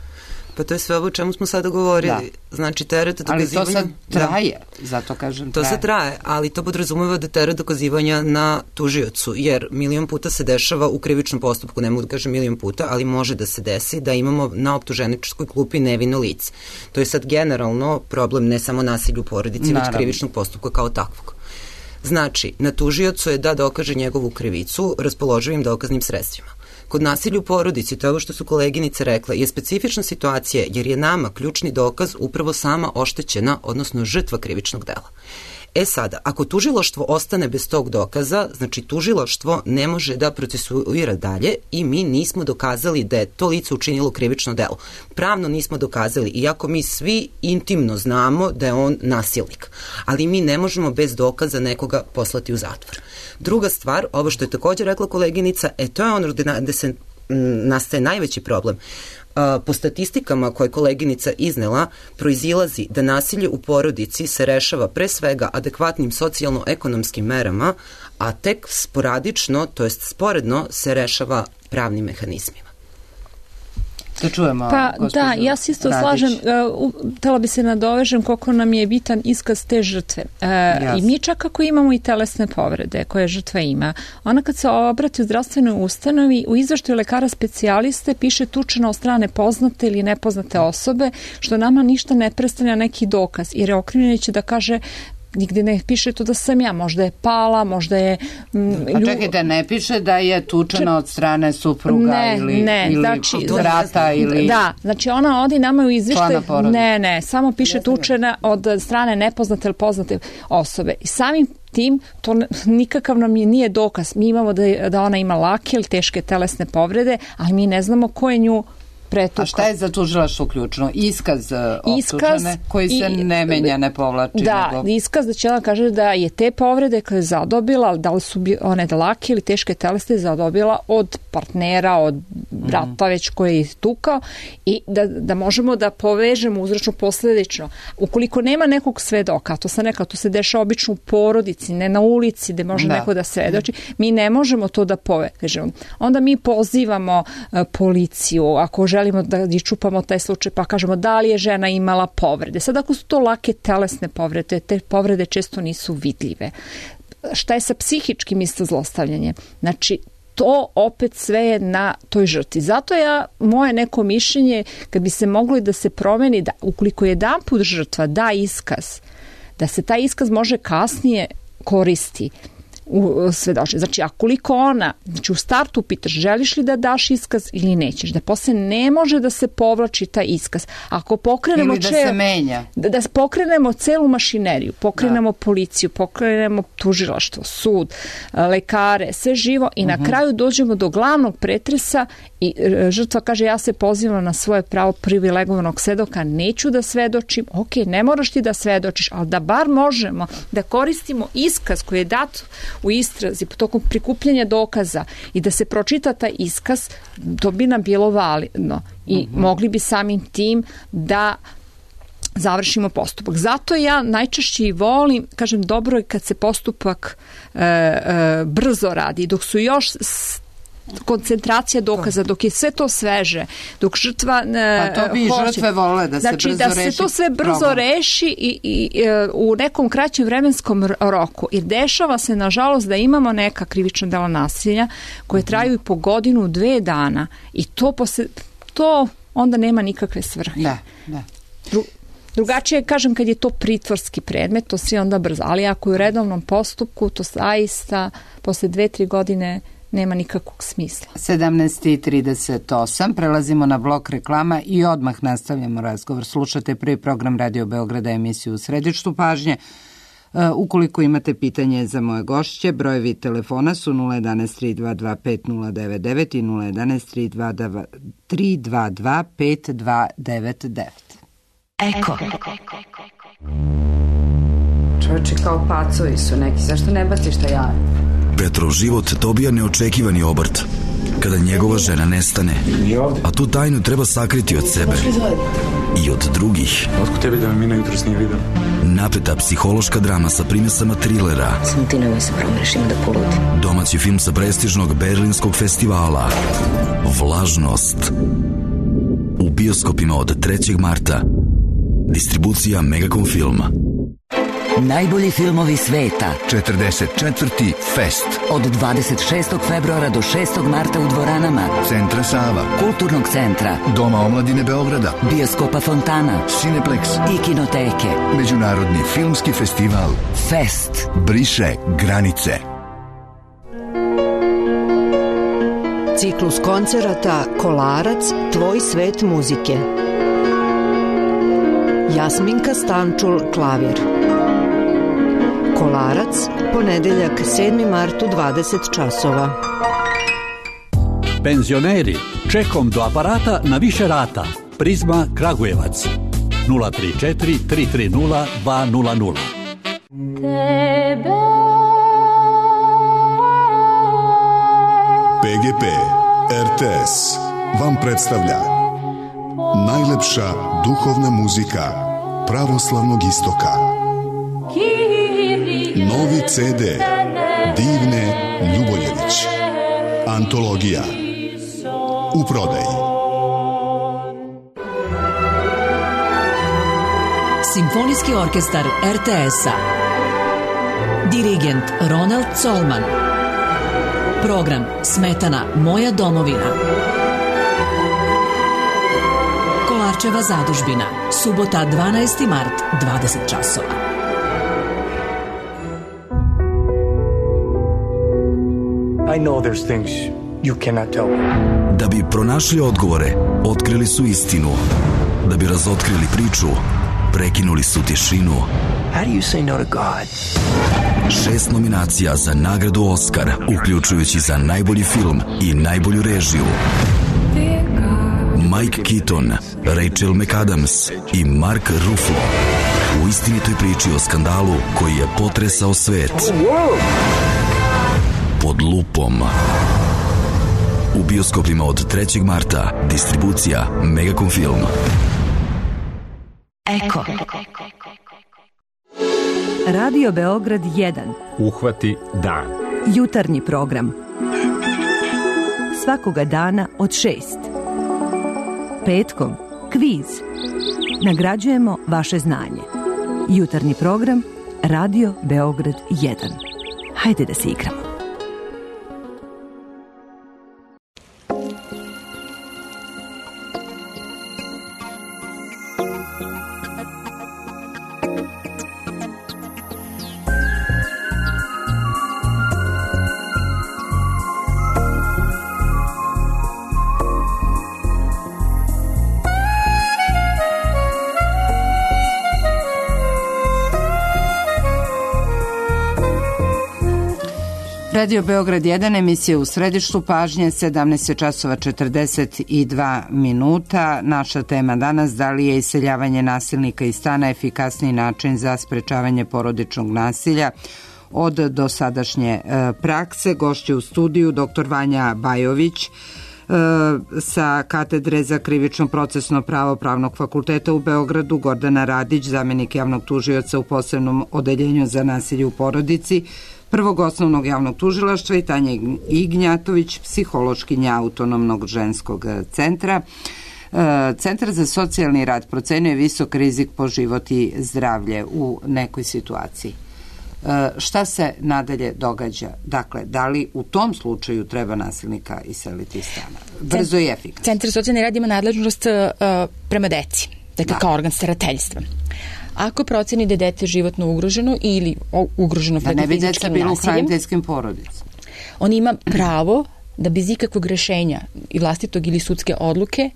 Speaker 2: Pa to je sve ovo o čemu smo sada govorili. Znači, teret dokazivanja...
Speaker 3: Ali to sad traje, zato kažem traje.
Speaker 2: To sad traje, ali to podrazumeva da teret dokazivanja na tužiocu, jer milion puta se dešava u krivičnom postupku, ne mogu da kažem milion puta, ali može da se desi da imamo na optuženičkoj klupi nevino lice. To je sad generalno problem ne samo nasilju u porodici, već krivičnog postupka kao takvog. Znači, na tužiocu je da dokaže njegovu krivicu raspoloživim dokaznim sredstvima. Kod nasilja u porodici, to je ovo što su koleginice rekla, je specifična situacija jer je nama ključni dokaz upravo sama oštećena, odnosno žrtva krivičnog dela. Sada, ako tužilaštvo ostane bez tog dokaza, znači tužilaštvo ne može da procesuira dalje i mi nismo dokazali da je to lice učinilo krivično delo. Pravno nismo dokazali, iako mi svi intimno znamo da je on nasilnik. Ali mi ne možemo bez dokaza nekoga poslati u zatvor. Druga stvar, ovo što je također rekla koleginica, to je ono gde se nastaje najveći problem. Po statistikama koje koleginica iznela, proizilazi da nasilje u porodici se rešava pre svega adekvatnim socijalno-ekonomskim merama, a tek sporadično, to jest sporedno, se rešava pravnim mehanizmima.
Speaker 3: Da čujemo,
Speaker 4: da, ja se isto slažem, htela bi se nadovežem koliko nam je bitan iskaz te žrtve. I mi čak ako imamo i telesne povrede koje žrtva ima, ona kad se obrati u zdravstvenoj ustanovi, u izveštaju lekara specijaliste piše tučena od strane poznate ili nepoznate osobe, što nama ništa ne predstavlja neki dokaz, jer je okrivljeni će da kaže nigde ne piše to da sam ja, možda je pala, možda je...
Speaker 3: Pa čekajte, ne piše da je tučena od strane supruga ili znači, brata ili...
Speaker 4: Da, znači ona odi nama u izveštaj... Ne, samo piše tučena od strane nepoznate ili poznate osobe. I samim tim, to nikakav nam nije dokaz. Mi imamo da ona ima lake ili teške telesne povrede, ali mi ne znamo ko je nju pretukao.
Speaker 3: A šta je za tužilaštvo ključno? Iskaz optužene koji se ne menja, ne povlači.
Speaker 4: Da, iskaz da će ona kaže da je te povrede koje je zadobila, da li su one lake ili teške telesne, zadobila od partnera, od brata već koji je tukao i da možemo da povežemo uzročno posledično. Ukoliko nema nekog svedoka, to sam rekla, to se dešava obično u porodici, ne na ulici gde može neko da svedoči, mi ne možemo to da povežemo. Onda mi pozivamo policiju, ako želimo da iščupamo taj slučaj, pa kažemo da li je žena imala povrede. Sad ako su to lake telesne povrede, te povrede često nisu vidljive. Šta je sa psihičkim isto zlostavljanjem? Znači, to opet sve je na toj žrtvi. Zato moje neko mišljenje, kad bi se moglo i da se promeni, da ukoliko jedanput žrtva da iskaz, da se taj iskaz može kasnije koristi u svedočenju. Znači, a koliko ona, znači u startu pitaš želiš li da daš iskaz ili nećeš, da posle ne može da se povlači taj iskaz. Ako pokrenemo
Speaker 3: ili da se menja.
Speaker 4: Da pokrenemo celu mašineriju, pokrenemo policiju, pokrenemo tužilaštvo, sud, lekare, sve živo i na kraju dođemo do glavnog pretresa i žrtva kaže ja se pozivam na svoje pravo privilegovanog svedoka, neću da svedočim, ok, ne moraš ti da svedočiš, ali da bar možemo da koristimo iskaz koji je dat u istrazi tokom prikupljanja dokaza i da se pročita taj iskaz, to bi nam bilo validno i mogli bi samim tim da završimo postupak. Zato ja najčešće i volim, kažem, dobro je kad se postupak brzo radi, dok su još koncentracija dokaza, dok je sve to sveže, dok žrtva
Speaker 3: pa to bi žrtve vole da se
Speaker 4: znači,
Speaker 3: brzo reši.
Speaker 4: Znači da se to sve brzo reši i u nekom kraćem vremenskom roku. Jer dešava se, nažalost, da imamo neka krivična dela nasilja koje traju i po godinu, 2 dana i to onda nema nikakve svrhe.
Speaker 3: Da.
Speaker 4: Drugačije, kažem, kad je to pritvorski predmet, to sve onda brzo. Ali ako je u redovnom postupku, to zaista posle 2-3 godine nema nikakvog smisla.
Speaker 3: 17:38, prelazimo na blok reklama i odmah nastavljamo razgovor. Slušate prvi program Radio Beograda, emisiju U središtu pažnje. Ukoliko imate pitanje za moje gošće, brojevi telefona su 011 322 5099 i 011 322 5299.
Speaker 5: Eko.
Speaker 6: Čovječi kao pacovi su neki, zašto ne baciš taj jaje?
Speaker 7: Petrov život dobija neočekivani obrt kada njegova žena nestane, a tu tajnu treba sakriti od sebe i od drugih.
Speaker 8: Otko tebi da me Mina jutros nije vidio?
Speaker 7: Napeta psihološka drama sa primesama trilera.
Speaker 5: Samo ti nemoj se promreš, ima da poludi.
Speaker 7: Domaći film sa prestižnog berlinskog festivala. Vlažnost. u bioskopima od 3. marta. Distribucija Megacom Filma.
Speaker 9: Najbolji filmovi sveta.
Speaker 10: 44. Fest.
Speaker 9: Od 26. februara do 6. marta u dvoranama
Speaker 10: Centra Sava,
Speaker 9: Kulturnog centra,
Speaker 10: Doma omladine Beograda,
Speaker 9: Bioskopa Fontana,
Speaker 10: Cineplex
Speaker 9: i Kinoteke.
Speaker 10: Međunarodni filmski festival
Speaker 9: Fest.
Speaker 10: Briše granice.
Speaker 11: Ciklus koncerata Kolarac, tvoj svet muzike. Jasminka Stančul, klavir. Kolarac, ponedeljak 7. mart u 20 časova.
Speaker 12: Penzioneri, čekom do aparata na više rata. Prizma Kragujevac. 034 330 200.
Speaker 13: PGP RTS vam predstavlja najlepša duhovna muzika pravoslavnog istoka. Novi CD Divne Ljuboljević. Antologija. U prodaji.
Speaker 14: Simfonijski orkestar RTS-a. Dirigent Ronald Colman. Program Smetana Moja domovina. Kolarčeva zadužbina. Subota 12. mart, 20 časova.
Speaker 8: I know there's things you cannot tell me.
Speaker 7: Da bi pronašli odgovore, otkrili su istinu. Da bi razotkrili priču, prekinuli su tišinu.
Speaker 8: How do you say no to God?
Speaker 7: 6 nominacija za nagradu Oskar, uključujući za najbolji film i najbolju režiju. Mike Keaton, Rachel McAdams i Mark Ruffalo u istinitoj priči o skandalu koji je potresao svet. Pod lupom. U bioskopima od 3. marta. Distribucija Megacom Film.
Speaker 5: Eko.
Speaker 15: Radio Beograd 1.
Speaker 16: Uhvati dan.
Speaker 15: Jutarnji program. Svakoga dana od 6. Petkom kviz. Nagrađujemo vaše znanje. Jutarnji program Radio Beograd 1. Hajde da se igramo.
Speaker 3: Radio Beograd 1, emisija u središtu pažnje, 17 časova 42 minuta. Naša tema danas, da li je iseljavanje nasilnika iz stana efikasniji način za sprečavanje porodičnog nasilja od dosadašnje prakse. Gošće u studiju dr. Vanja Bajović sa katedre za krivično procesno pravo Pravnog fakulteta u Beogradu, Gordana Radić, zamenik javnog tužioca u posebnom odeljenju za nasilje u porodici Prvog osnovnog javnog tužilaštva i Tanja Ignjatović, psihološkinja Autonomnog ženskog centra. Centar za socijalni rad procenjuje visok rizik po život i zdravlje u nekoj situaciji. Šta se nadalje događa? Dakle, da li u tom slučaju treba nasilnika iseliti iz stana? Brzo i efikasno.
Speaker 1: Centar za socijalni rad ima nadležnost prema deci, dakle kao organ starateljstva. Ako proceni da je dete životno ugroženo ili ugroženo fizičkim nasiljem,
Speaker 3: da ne bi deca bilo u hraniteljskim porodicama,
Speaker 1: on ima pravo da bez ikakvog rešenja i vlastitog ili sudske odluke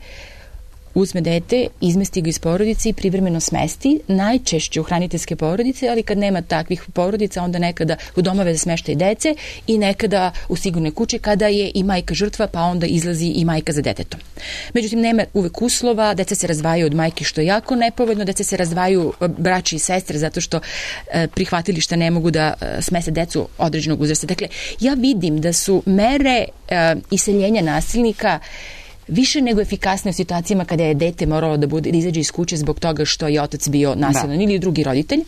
Speaker 1: uzme dete, izmesti ga iz porodice i privremeno smesti, najčešće u hraniteljske porodice, ali kad nema takvih porodica, onda nekada u domove za smeštaj dece i nekada u sigurnoj kući kada je i majka žrtva, pa onda izlazi i majka za detetom. Međutim, nema uvek uslova, deca se razdvajaju od majke, što je jako nepovoljno, deca se razdvajaju braći i sestre zato što prihvatilišta ne mogu da smese decu određenog uzrasta. Dakle, ja vidim da su mere iseljenja nasilnika više nego efikasne u situacijama kada je dete moralo da izađe iz kuće zbog toga što je otac bio nasilan ili drugi roditelj.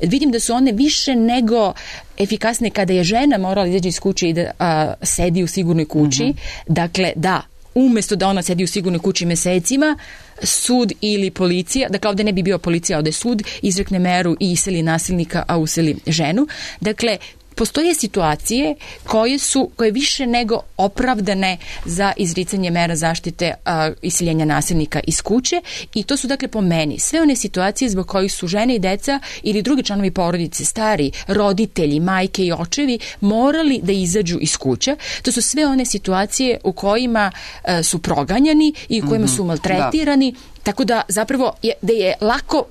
Speaker 1: Vidim da su one više nego efikasne kada je žena morala izađe iz kuće i da sedi u sigurnoj kući. Dakle, da, umesto da ona sedi u sigurnoj kući mesecima, sud ili policija, dakle ovde ne bi bio policija, ovde sud, izrekne meru i iseli nasilnika, a useli ženu. Dakle, postoje situacije koje više nego opravdane za izricanje mera zaštite iseljenja nasilnika iz kuće, i to su dakle po meni sve one situacije zbog kojih su žene i deca ili drugi članovi porodice, stari, roditelji, majke i očevi morali da izađu iz kuće. To su sve one situacije u kojima su proganjani i u kojima su maltretirani, tako da zapravo da je lako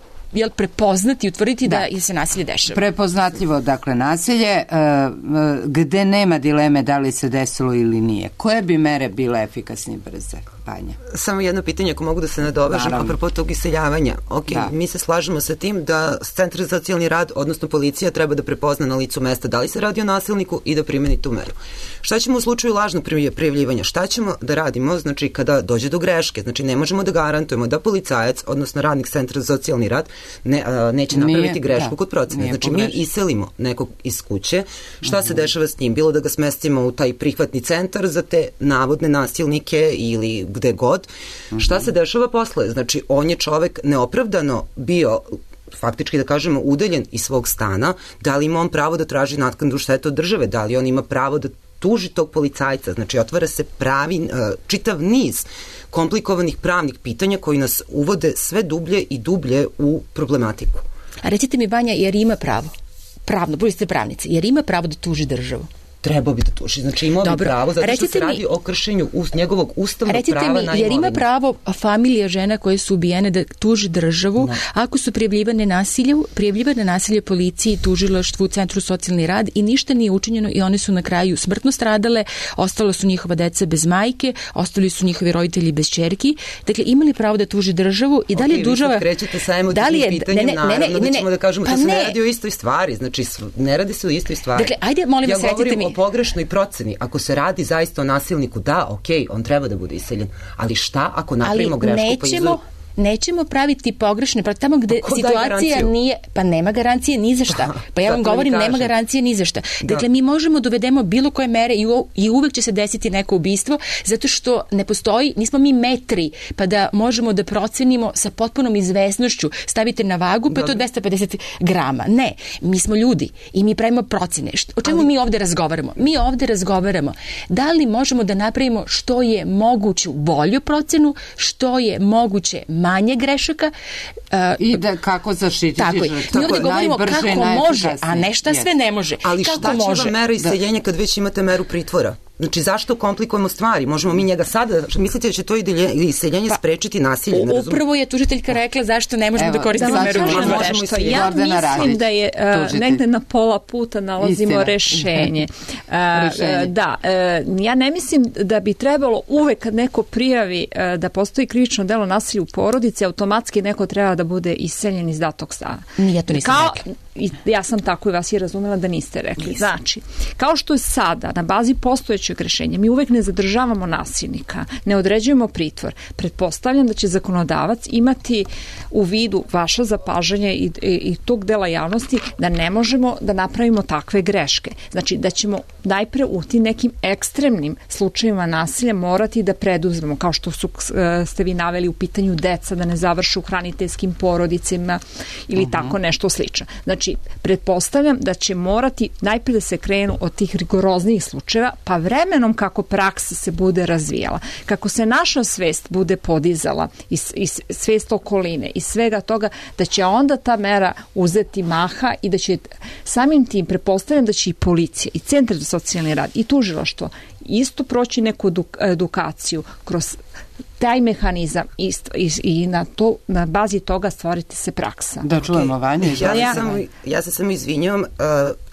Speaker 1: prepoznati i utvrditi da se nasilje dešava.
Speaker 3: Prepoznatljivo, dakle, nasilje, gde nema dileme da li se desilo ili nije. Koje bi mere bile efikasne i brze? Banja.
Speaker 2: Samo jedno pitanje, ako mogu da se nadovežem, apropo tog iseljavanja. Mi se slažemo sa tim da Centar za socijalni rad, odnosno policija, treba da prepozna na licu mesta da li se radi o nasilniku i da primeni tu meru. Šta ćemo u slučaju lažnog prijavljivanja? Šta ćemo da radimo, znači, kada dođe do greške? Znači, ne možemo da garantujemo da policajac, odnosno radnik Centra za socijalni rad, neće napraviti grešku kod procene. Znači, mi iselimo nekog iz kuće. Šta se dešava s njim? Bilo da ga smestimo u taj prihvatni centar za te navodne nasilnike ili gde god. Šta se dešava posle? Znači, on je čovek neopravdano bio, faktički da kažemo, udaljen iz svog stana. Da li ima on pravo da traži naknadu štete od države? Da li on ima pravo da tuži tog policajca? Znači, otvara se čitav niz komplikovanih pravnih pitanja koji nas uvode sve dublje i dublje u problematiku.
Speaker 1: A recite mi, Banja, jer ima pravo, pravno, bili ste pravnici, jer ima pravo da tuži državu?
Speaker 2: Trebao bi da tuži. Znači, imao bi pravo, zato što se radi o kršenju njegovog ustavnog prava na imovinu.
Speaker 1: Recite mi, jer ima pravo familija žena koje su ubijene da tuži državu ako su prijavljivane nasilje policiji, tužilaštvu, Centru socijalni rad i ništa nije učinjeno i one su na kraju smrtno stradale, ostalo su njihova deca bez majke, ostali su njihovi roditelji bez ćerki. Dakle, imali pravo da tuži državu i da li je država...
Speaker 2: Vi krećete sa emotivnim pitanjem, naravno da ćemo da kažemo da se ne radi o istoj stvari. Znači, ne radi se o istoj stvari.
Speaker 1: Dakle, ajde, molim vas, recite mi,
Speaker 2: pogrešnoj proceni. Ako se radi zaista o nasilniku, da, okej, on treba da bude iseljen. Ali šta ako napravimo grešku?
Speaker 1: Nećemo praviti pogrešne, tamo gde situacija nije, pa nema garancije ni za šta. Pa ja vam govorim, nema garancije ni za šta. Dakle, mi možemo dovedemo bilo koje mere i uvek će se desiti neko ubistvo, zato što ne postoji, nismo mi metri, pa da možemo da procenimo sa potpunom izvesnošću, stavite na vagu, pa je to 250 grama. Ne, mi smo ljudi i mi pravimo procene. O čemu mi ovde razgovaramo? Mi ovde razgovaramo da li možemo da napravimo što je moguću bolju procenu, što je moguće manje grešaka.
Speaker 3: I da kako zaštititi žrtvu.
Speaker 1: Mi ovdje govorimo kako može, a ne šta sve ne može.
Speaker 2: Ali šta će vam mera iseljenja kad već imate meru pritvora? Znači, zašto komplikujemo stvari? Možemo mi njega sada, mislite da će to iseljenje sprečiti nasilje?
Speaker 1: Upravo je tužiteljka rekla zašto ne možemo da koristimo meru pritvora.
Speaker 4: Ja mislim da je negde na pola puta nalazimo rešenje. Da, ja ne mislim da bi trebalo uvek kad neko prijavi da postoji krivično delo nasilja u porodici, automatski neko treba da bude iseljen iz datog stana.
Speaker 1: Ja to nisam rekla.
Speaker 4: Ja sam tako i vas je razumela da niste rekli. Znači, kao što je sada na bazi postojećeg rešenja, mi uvek ne zadržavamo nasilnika, ne određujemo pritvor. Pretpostavljam da će zakonodavac imati u vidu vaša zapažanja i tog dela javnosti da ne možemo da napravimo takve greške. Znači, da ćemo najpre u tim nekim ekstremnim slučajevima nasilja morati da preduzmemo, kao što ste vi naveli u pitanju deca, da ne završu u hraniteljskim porodicima ili tako nešto slično. Znači, pretpostavljam da će morati najprije da se krenu od tih rigoroznijih slučajeva, pa vremenom kako praksa se bude razvijala, kako se naša svest bude podizala i svest okoline i svega toga, da će onda ta mera uzeti maha i da će samim tim, pretpostavljam da će i policija i Centar za socijalni rad i tužilaštvo isto proći neku edukaciju kroz taj mehanizam i na bazi toga stvoriti se praksa.
Speaker 3: Da čujemo Vanju.
Speaker 2: Ja se samo izvinjavam,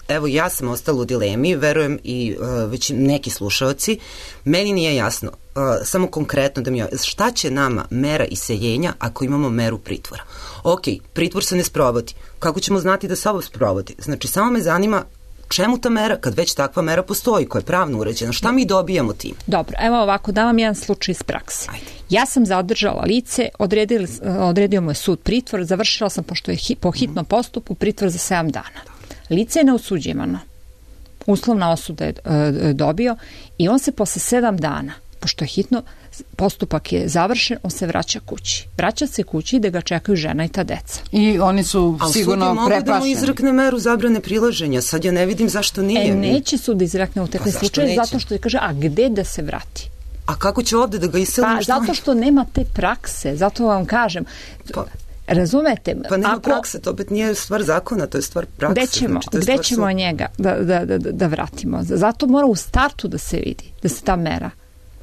Speaker 2: evo ja sam ostala u dilemi, verujem i već neki slušalci, meni nije jasno, samo konkretno da šta će nama mera iseljenja ako imamo meru pritvora? Ok, pritvor se ne sprovodi, kako ćemo znati da se ovo sprovodi? Znači, samo me zanima čemu ta mera, kad već takva mera postoji, koja je pravno uređena, šta mi dobijamo tim?
Speaker 4: Dobro, evo ovako, da vam jedan slučaj iz prakse. Ja sam zadržala lice, odredio mu je sud pritvor, završila sam, pošto je po hitnom postupku, pritvor za 7 dana. Lice je neosuđivano. Uslovna osuda je dobio i on se posle 7 dana, pošto je hitno, postupak je završen, on se vraća kući. Vraća se kući da ga čekaju žena i ta deca.
Speaker 3: I oni su sigurno preplašeni. Ali sud je mogu da mu
Speaker 2: izrekne meru zabrane prilaženja. Sad ja ne vidim zašto nije.
Speaker 4: Neće sud da izrekne u takve slučaje zato što je kaže, a gde da se vrati?
Speaker 2: A kako će ovde da ga iselimo?
Speaker 4: Pa zato što nema te prakse, zato vam kažem. Razumete?
Speaker 2: Pa nema prakse, to opet nije stvar zakona, to je stvar prakse.
Speaker 4: Gde ćemo njega da vratimo? Zato mora u startu da se vidi, da se ta mera.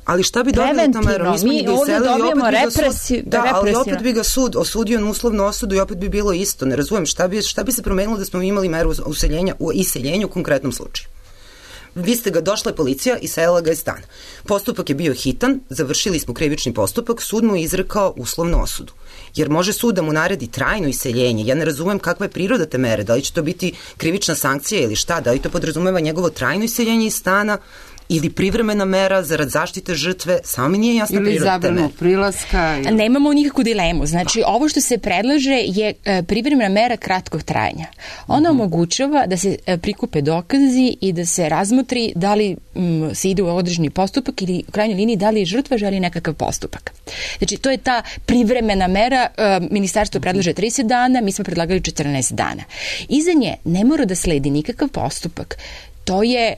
Speaker 2: Ali šta bi dobili ta mera?
Speaker 4: Mi ovdje dobijemo represiju.
Speaker 2: Ali opet bi ga sud osudio na uslovnu osudu i opet bi bilo isto. Ne razumijem šta bi se promenilo da smo imali meru u iseljenju u konkretnom slučaju. Vi ste ga, došla je policija i iselila ga iz stana. Postupak je bio hitan, završili smo krivični postupak, sud mu je izrekao uslovnu osudu. Jer može sud da mu naredi trajno iseljenje. Ja ne razumem kakva je priroda te mere, da li će to biti krivična sankcija ili šta, da li to podrazumeva njegovo trajno iseljenje iz stana ili privremena mera zarad zaštite žrtve, samo mi nije jasna priroda te mere.
Speaker 3: Ili zabranu prilaska.
Speaker 1: Nemamo nikakvu dilemu. Znači, ovo što se predlaže je privremena mera kratkog trajanja. Ona omogućava da se prikupe dokazi i da se razmotri da li se ide u određeni postupak ili u krajnjoj liniji da li žrtva želi nekakav postupak. Znači, to je ta privremena mera. Ministarstvo predlaže 30 dana, mi smo predlagali 14 dana. Iza nje ne mora da sledi nikakav postupak. To je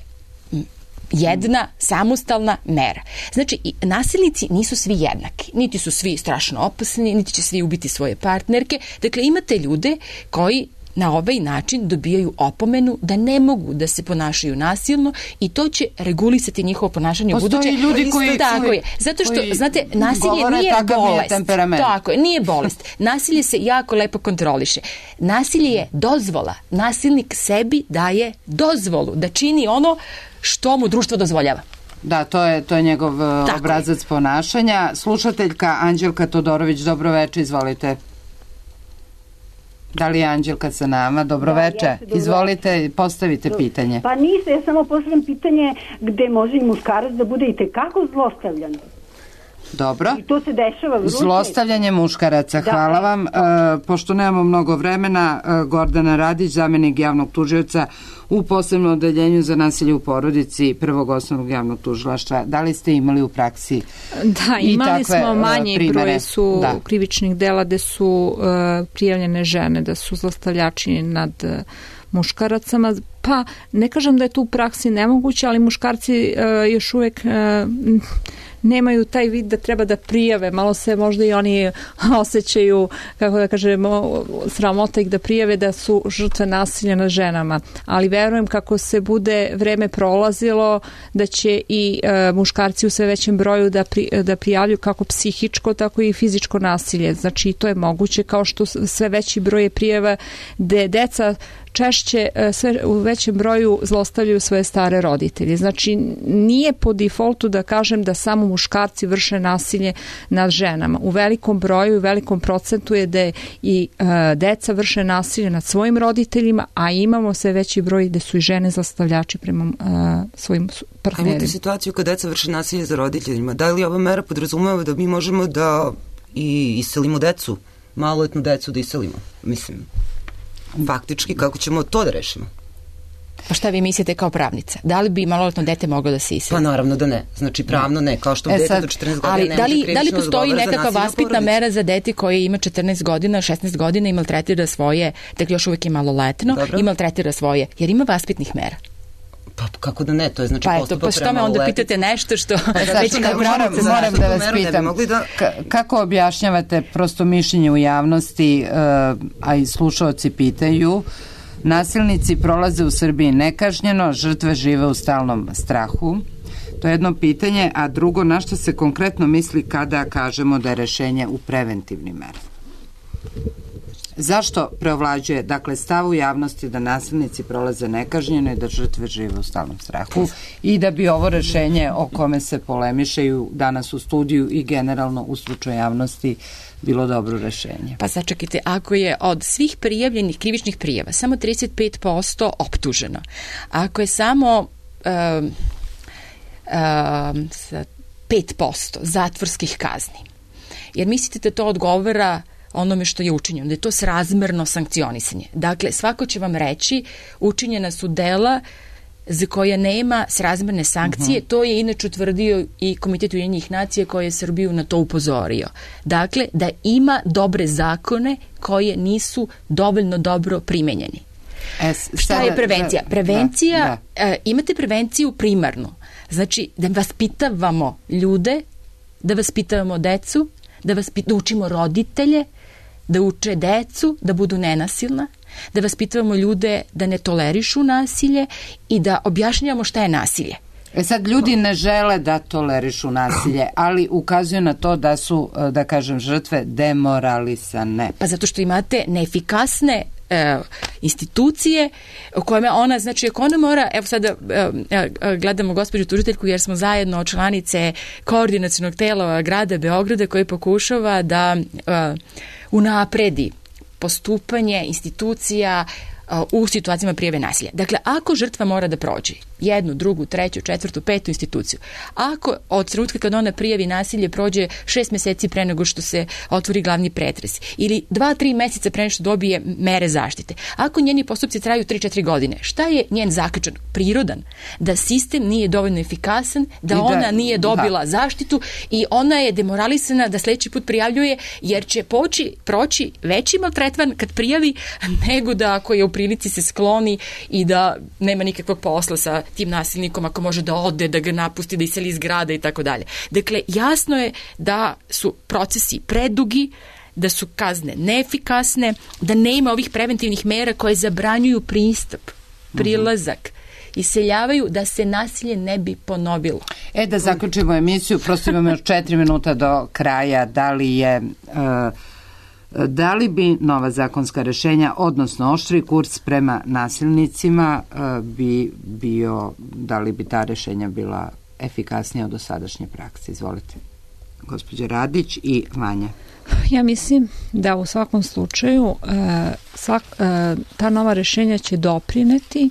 Speaker 1: jedna samostalna mera. Znači, nasilnici nisu svi jednaki. Niti su svi strašno opasni, niti će svi ubiti svoje partnerke. Dakle, imate ljude koji na ovaj način dobijaju opomenu da ne mogu da se ponašaju nasilno i to će regulisati njihovo ponašanje u buduće.
Speaker 3: Postoji ljudi koji
Speaker 1: zato što, znate, nasilje nije bolest. Tako je, nije bolest. Nasilje se jako lepo kontroliše. Nasilje je dozvola. Nasilnik sebi daje dozvolu da čini ono što mu društvo dozvoljava.
Speaker 3: Da, to je njegov obrazac ponašanja. Slušateljka Anđelka Todorović, dobroveče, izvolite. Da li je Anđelka sa nama? Dobroveče. Izvolite, postavite pitanje.
Speaker 17: Pa niste, ja samo postavljam pitanje gde može i muškarac da bude i tekako zlostavljan.
Speaker 3: Dobro.
Speaker 17: I to se dešava vruće.
Speaker 3: Zlostavljanje muškaraca, hvala vam. Pošto nemamo mnogo vremena, Gordana Radić, zamenik javnog tužioca u posebnom odeljenju za nasilje u porodici Prvog osnovnog javnog tužilaštva. Da li ste imali u praksi
Speaker 4: Da, imali smo manji broj su krivičnih dela gde su prijavljene žene, da su zlostavljači nad muškaracama. Pa ne kažem da je to u praksi nemoguće, ali muškarci još uvek nemaju taj vid da treba da prijave, malo se možda i oni osjećaju, kako da kažemo, sramota ih da prijave da su žrtve nasilja nad ženama, ali verujem kako se bude vreme prolazilo da će i muškarci u sve većem broju da prijavljuju kako psihičko, tako i fizičko nasilje. Znači to je moguće, kao što sve veći broj je prijava da deca češće sve u većem broju zlostavljaju svoje stare roditelje. Znači nije po defaultu da kažem da samo muškarci vrše nasilje nad ženama. U velikom broju i velikom procentu je da i deca vrše nasilje nad svojim roditeljima, a imamo sve veći broj da su i žene zlostavljači prema svojim partnerima.
Speaker 2: Imate situaciju kad deca vrše nasilje za roditeljima. Da li ova mera podrazumeva da mi možemo da i iselimo decu, maloletnu decu da iselimo? Mislim, faktički, kako ćemo to da rešimo?
Speaker 1: Pa šta vi mislite kao pravnica? Da li bi maloletno dete moglo da se iseli?
Speaker 2: Pa naravno da ne. Znači pravno ne, kao što dete do 14 godina ne može krivično
Speaker 1: da li postoji nekakva vaspitna mera za dete koje ima 14 godina, 16 godina i maltretira svoje, dakle još uvijek je maloletno, i maltretira svoje, jer ima vaspitnih mera?
Speaker 2: Pa kako da ne, to je znači postupak
Speaker 1: pa što me onda pitate nešto što već kao pravnica
Speaker 3: moram da vas pitam. Kako objašnjavate prosto mišljenje u javnosti, a i slušaoci pitaju, nasilnici prolaze u Srbiji nekažnjeno, žrtve žive u stalnom strahu? To je jedno pitanje, a drugo, na što se konkretno misli kada kažemo da je rešenje u preventivnim merama? Zašto preovlađuje, dakle, stav u javnosti da nasilnici prolaze nekažnjeno i da žrtve žive u stalnom strahu i da bi ovo rešenje o kome se polemišaju danas u studiju i generalno u slučaju javnosti bilo dobro rešenje?
Speaker 1: Pa sačekajte, ako je od svih prijavljenih krivičnih prijava samo 35% optuženo, ako je samo 5% zatvorskih kazni, jer mislite da to odgovara onome što je učinjeno, da je to srazmerno sankcionisanje. Dakle, svako će vam reći učinjena su dela za koje nema srazmerne sankcije, to je inače utvrdio i Komitet Ujedinjenih nacija koji je Srbiju na to upozorio. Dakle, da ima dobre zakone koje nisu dovoljno dobro primenjeni. Šta je prevencija? Prevencija, imate prevenciju primarnu. Znači, da vaspitavamo ljude, da vaspitavamo decu, da učimo roditelje, da uče decu, da budu nenasilna, da vaspitavamo ljude da ne tolerišu nasilje i da objašnjavamo šta je nasilje.
Speaker 3: Sad, ljudi ne žele da tolerišu nasilje, ali ukazuju na to da su, da kažem, žrtve demoralisane.
Speaker 1: Pa zato što imate neefikasne institucije u kojima ona, znači ako ona mora, evo sada gledamo gospođu tužiteljku jer smo zajedno članice koordinacionog tela grada Beograda koji pokušava da unapredi postupanje institucija u situacijama prijave nasilja. Dakle, ako žrtva mora da prođe jednu, drugu, treću, četvrtu, petu instituciju, ako od trenutka kad ona prijavi nasilje prođe 6 meseci pre nego što se otvori glavni pretres ili 2-3 meseca pre nego što dobije mere zaštite, ako njeni postupci traju 3-4 godine, šta je njen zaključak? Prirodan. Da sistem nije dovoljno efikasan, da ona nije dobila zaštitu i ona je demoralisana da sledeći put prijavljuje jer će proći veći maltretman kad prijavi nego da ako je u prilici se skloni i da nema nikakvog posla sa tim nasilnikom, ako može da ode, da ga napusti, da iseli iz grada i tako dalje. Dakle, jasno je da su procesi predugi, da su kazne neefikasne, da nema ovih preventivnih mera koje zabranjuju pristup, prilazak, iseljavaju da se nasilje ne bi ponovilo.
Speaker 3: Da zaključimo emisiju, prosto imamo još 4 minuta do kraja. Da li bi nova zakonska rešenja, odnosno oštri kurs prema nasilnicima bi bio, da li bi ta rešenja bila efikasnija od dosadašnje prakse? Izvolite, gospođa Radić i Vanja.
Speaker 4: Ja mislim da u svakom slučaju ta nova rešenja će doprineti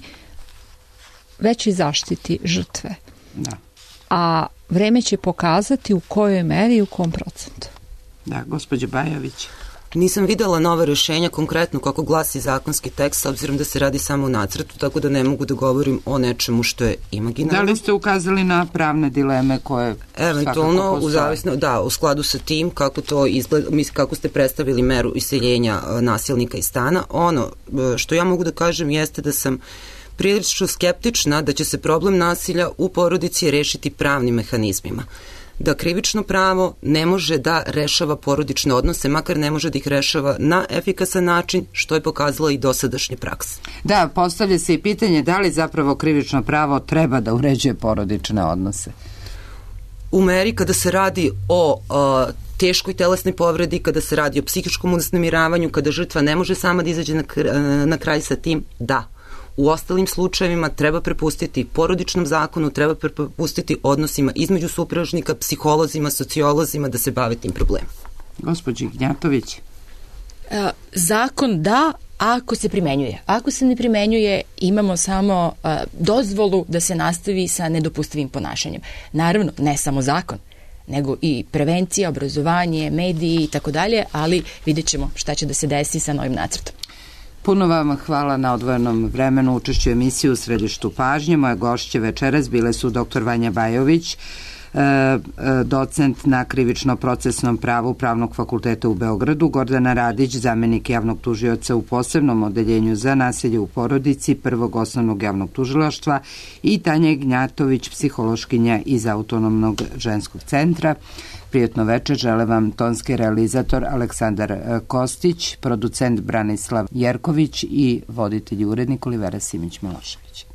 Speaker 4: većoj zaštiti žrtve.
Speaker 3: Da.
Speaker 4: A vreme će pokazati u kojoj meri i u kom procentu.
Speaker 3: Da, gospođa Bajović.
Speaker 2: Nisam videla nova rešenja konkretno kako glasi zakonski tekst, s obzirom da se radi samo o nacrtu, tako da ne mogu da govorim o nečemu što je imaginarno.
Speaker 3: Da li ste ukazali na pravne dileme koje
Speaker 2: eventualno u skladu sa tim kako to izgleda, kako ste predstavili meru iseljenja nasilnika iz stana. Ono što ja mogu da kažem jeste da sam prilično skeptična da će se problem nasilja u porodici rešiti pravnim mehanizmima. Da krivično pravo ne može da rešava porodične odnose, makar ne može da ih rešava na efikasan način, što je pokazala i dosadašnja praksa.
Speaker 3: Da, postavlja se i pitanje da li zapravo krivično pravo treba da uređuje porodične odnose.
Speaker 2: U meri kada se radi o teškoj telesnoj povredi, kada se radi o psihičkom uznemiravanju, kada žrtva ne može sama da izađe na kraj sa tim, da. U ostalim slučajevima treba prepustiti porodičnom zakonu, treba prepustiti odnosima između supružnika, psiholozima, sociolozima da se bave tim problemom.
Speaker 3: Gospođi Gnjatović.
Speaker 1: Zakon da, ako se primenjuje. Ako se ne primenjuje, imamo samo dozvolu da se nastavi sa nedopustivim ponašanjem. Naravno, ne samo zakon, nego i prevencija, obrazovanje, mediji i tako dalje, ali vidjet ćemo šta će da se desi sa novim nacrtom.
Speaker 3: Puno vam hvala na odvojenom vremenu učešću emisiju u središtu pažnje. Moje gošće večeras bile su dr. Vanja Bajović, docent na krivično-procesnom pravu Pravnog fakulteta u Beogradu, Gordana Radić, zamenik javnog tužioca u posebnom odeljenju za nasilje u porodici Prvog osnovnog javnog tužilaštva i Tanja Gnjatović, psihološkinja iz Autonomnog ženskog centra. Prijetno večer, žele vam tonski realizator Aleksandar Kostić, producent Branislav Jerković i voditelj i urednik Olivera Simić-Milošević.